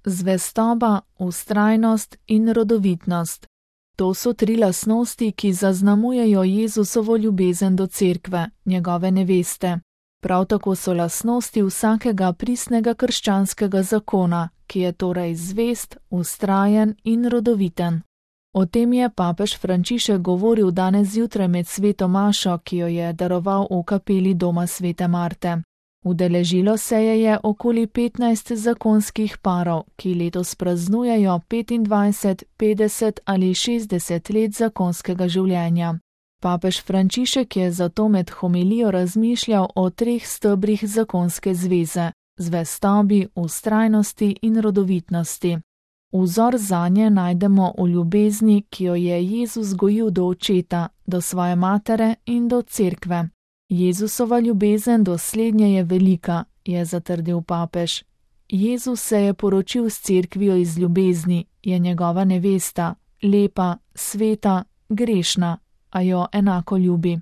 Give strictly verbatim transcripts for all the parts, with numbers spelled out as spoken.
zvestoba, vztrajnost in rodovitnost. To so tri lastnosti, ki zaznamujejo Jezusovo ljubezen do cerkve, njegove neveste. Prav tako so lastnosti vsakega pristnega krščanskega zakona, ki je torej zvest, vztrajen in rodoviten. O tem je papež Frančišek govoril danes zjutraj med sveto mašo, ki jo je daroval v kapeli doma svete Marte. Udeležilo se je je okoli petnajst zakonskih parov, ki letos praznujejo petindvajset, petdeset ali šestdeset let zakonskega življenja. Papež Frančišek je zato med homilijo razmišljal o treh stebrih zakonske zveze: zvestobi, vztrajnosti in rodovitnosti. Vzor zanje najdemo v ljubezni, ki jo je Jezus gojil do očeta, do svoje matere in do cerkve. Jezusova ljubezen do slednje je velika, je zatrdil papež. Jezus se je poročil s cerkvijo iz ljubezni, je njegova nevesta, lepa, sveta, grešna, a jo enako ljubi.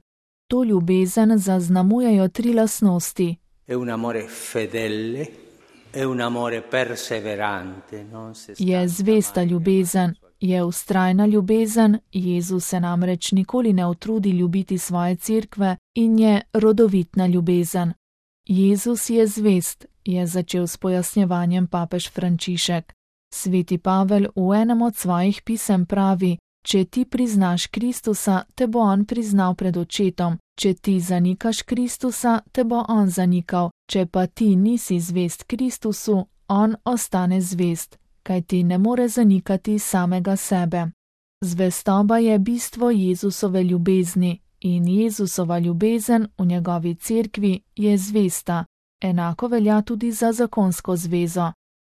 To ljubezen zaznamujejo tri lastnosti. È un amore fedele, è un amore perseverante, non se stanca. Je zvesta ljubezen, je vztrajna ljubezen, Jezus se namreč nikoli ne utrudi ljubiti svoje cerkve, in je rodovitna ljubezen. Jezus je zvest, je začel s pojasnjevanjem papež Frančišek. Sveti Pavel v enem od svojih pisem pravi: če ti priznaš Kristusa, te bo on priznal pred očetom, če ti zanikaš Kristusa, te bo on zanikal, če pa ti nisi zvest Kristusu, on ostane zvest, kaj ti ne more zanikati samega sebe. Zvestoba je bistvo Jezusove ljubezni in Jezusova ljubezen v njegovi cerkvi je zvesta, enako velja tudi za zakonsko zvezo.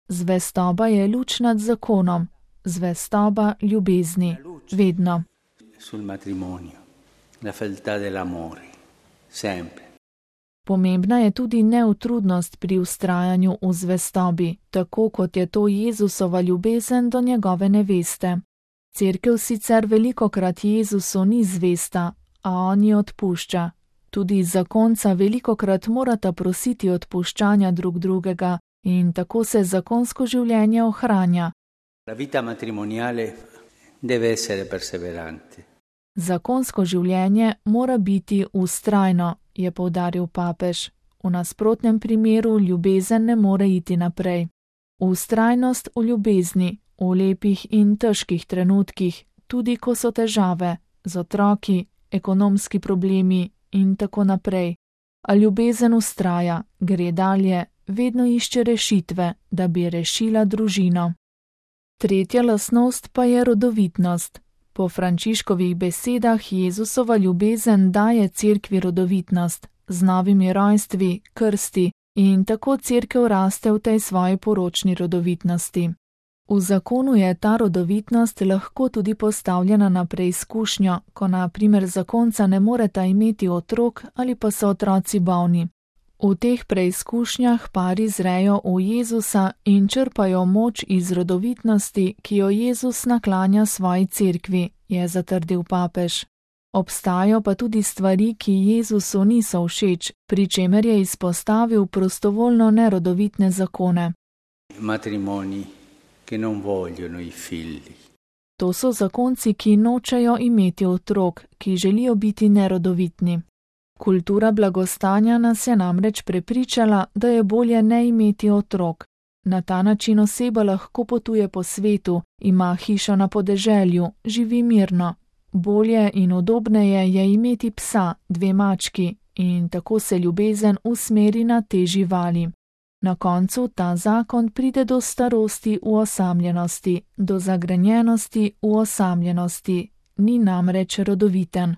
Zvestoba je luč nad zakonom, zvestoba ljubezni, vedno. Sul matrimonio, la fedeltà dell'amore, sempre. Pomembna je tudi neutrudnost pri vztrajanju v zvestobi, tako kot je to Jezusova ljubezen do njegove neveste. Cerkev sicer velikokrat Jezusu ni zvesta, a on ji odpušča. Tudi zakonca velikokrat morata prositi odpuščanja drug drugega in tako se zakonsko življenje ohranja. La vita matrimoniale deve essere perseverante. Zakonsko življenje mora biti vztrajno, je poudaril papež. V nasprotnem primeru ljubezen ne more iti naprej. Vztrajnost v ljubezni, v lepih in težkih trenutkih, tudi ko so težave, z otroki, ekonomski problemi in tako naprej. A ljubezen vztraja, gre dalje, vedno išče rešitve, da bi rešila družino. Tretja lastnost pa je rodovitnost. Po Frančiškovih besedah Jezusova ljubezen daje cerkvi rodovitnost, z novimi rojstvi, krsti, in tako cerkev raste v tej svoji poročni rodovitnosti. V zakonu je ta rodovitnost lahko tudi postavljena na preizkušnjo, ko na primer zakonca ne moreta imeti otrok ali pa so otroci bolni. V teh preizkušnjah pari zrejo v Jezusa in črpajo moč iz rodovitnosti, ki jo Jezus naklanja svoji cerkvi, je zatrdil papež. Obstajajo pa tudi stvari, ki Jezusu niso všeč, pri čemer je izpostavil prostovoljno nerodovitne zakone. Matrimoni, ki non vogliono i figli. To so zakonci, ki nočejo imeti otrok, ki želijo biti nerodovitni. Kultura blagostanja nas je namreč prepričala, da je bolje ne imeti otrok. Na ta način oseba lahko potuje po svetu, ima hišo na podeželju, živi mirno. Bolje in udobneje je imeti psa, dve mački, in tako se ljubezen usmeri na te živali. Na koncu ta zakon pride do starosti v osamljenosti, do zagrenjenosti v osamljenosti, ni namreč rodoviten.